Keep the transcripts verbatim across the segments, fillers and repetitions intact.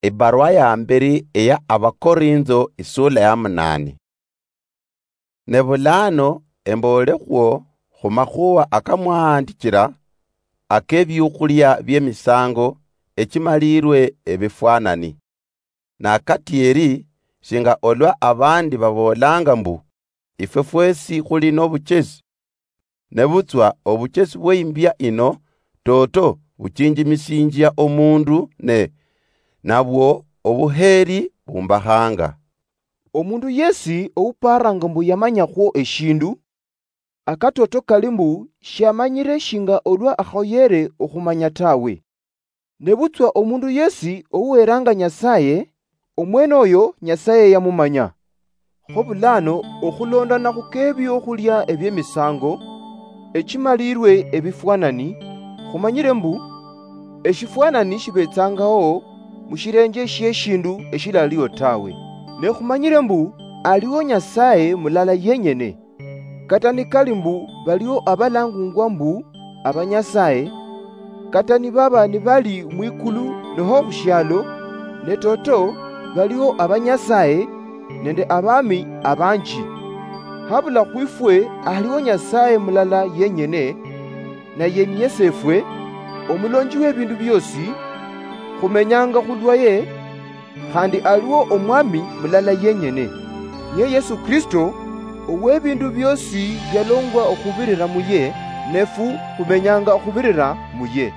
Ebarua ya mberi eya Abakorintho, isula ya munane. Ne bulano embolekhwo khumakhuwa akamwahandichira, akebiukhulia biemisango echimalirwe ebifwanani. Nakatieri, shinga olwa abandi baboolanga mbu, ifwe fwesi khuli nobuchesi, nebutswa obuchesi bweimbia ino toto buchinjimisinjia omundu, ne nabwo obuheri bumbakhanga. Omundu yesi ouparanga mbu yamanyakhwo eshindu, akatoto kali mbu shiamanyire shinga olwa akhoyere okhumanya tawe. Nebutswa omundu yesi ouweranga Nyasaye, omwene oyo Nyasaye yamumanya. Kho bulano, okhulondana khukebiokhulia ebiemisango echimalirwe ebifwanani, khumanyire mbu eshifwanani shibetsangaho mushirenje shieshindu eshilaliho tawe. Ne khumanyire mbu aliho Nyasaye mulala yenyene. Kata nikali mbu baliho abalangungwa mbu abanyasaye, kata nibaba nibali mwikulu noho khushialo, ne toto baliho abanyasaye nende abami abanji. Habula khwifwe aliho Nyasaye mulala yenyene, naye ni Yesefwe, omulonji webindu biosi, khumenyanga khulwaye, khandi aliwo Omwami mulala yenyene, niye Yesu Kristo, owebindu biosi bialongwa okhubirira muye, nefu khumenyanga okhubirira muye.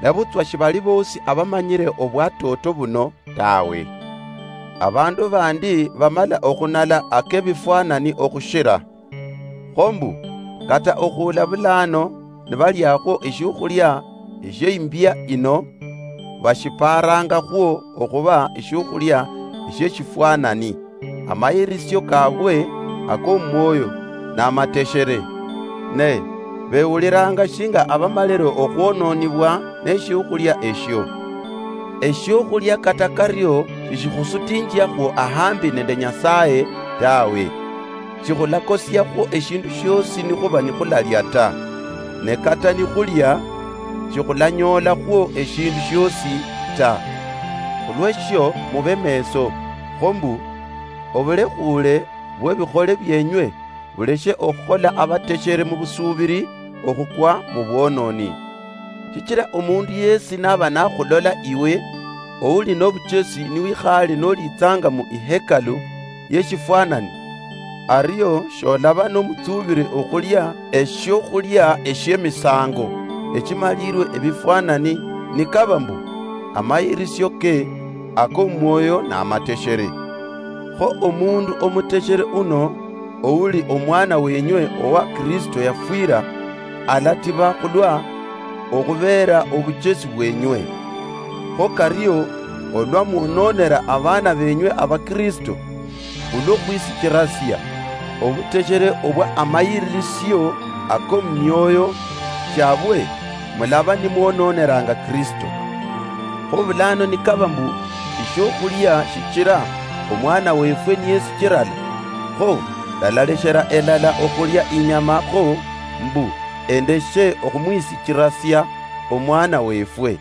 Nabutswa shibali bosi abamanyire obwatoto buno tawe. Abandu bandi bamala okhunala akebifwanani okhushira. Kho mbu, kata okhuula bulano nibaliakhwo eshiokhulia eshieimbia ino, bashiparangakhwo okhuba eshiokhulia eshieshifwanani, amayirisio kabwe akomwoyo namateshere, ne bewuliranga shinga abamalire okhwononibwa neshiokhulia eshio. Eshiokhulia kata kario shishikhusutinjiakhwo ahambi nende Nyasaye tawe. Shikhulakosiakhwo eshindu shiosi nikhuba nikhulalia ta, ne kata nikhulia, shikhulanyoolakhwo eshindu shiosi ta. Khulweshio mube meso, kho mbu, obulekhuule bwebikhole bienywe buleshe okhukhola abateshere mubusuubiri okhukwa mubwononi. Shichira omundu yesi naba nakhulola iwe, ouli nobuchesi niwikhaale nolitsanga mu ihekalu yeshifwanani, ario sholaba nomutsubiri okhulia eshiokhulia eshiemisango echimalirwe ebifwanani, nikaba mbu amayirisio ke akomwoyo namateshere. Kho omundu omuteshere uno, ouli omwana wenywe owa Kristo yafwira, alatiba khulwa okhubeera obuchesi bwenywe. Kho kario, olwa mwononera abaana benywe Abakristo, khulwokhwisichirasia obuteshere obwa amayiririsio akomumioyo chiabwe, mulaba nimwononeranga Kristo. Kho bulano nikaba mbu eshiokhulia shichira omwana wefwe niyesichirala, kho ndalaleshera elala okhulia inyama kho mbu endeshe okhumwisichirasia omwana wefwe.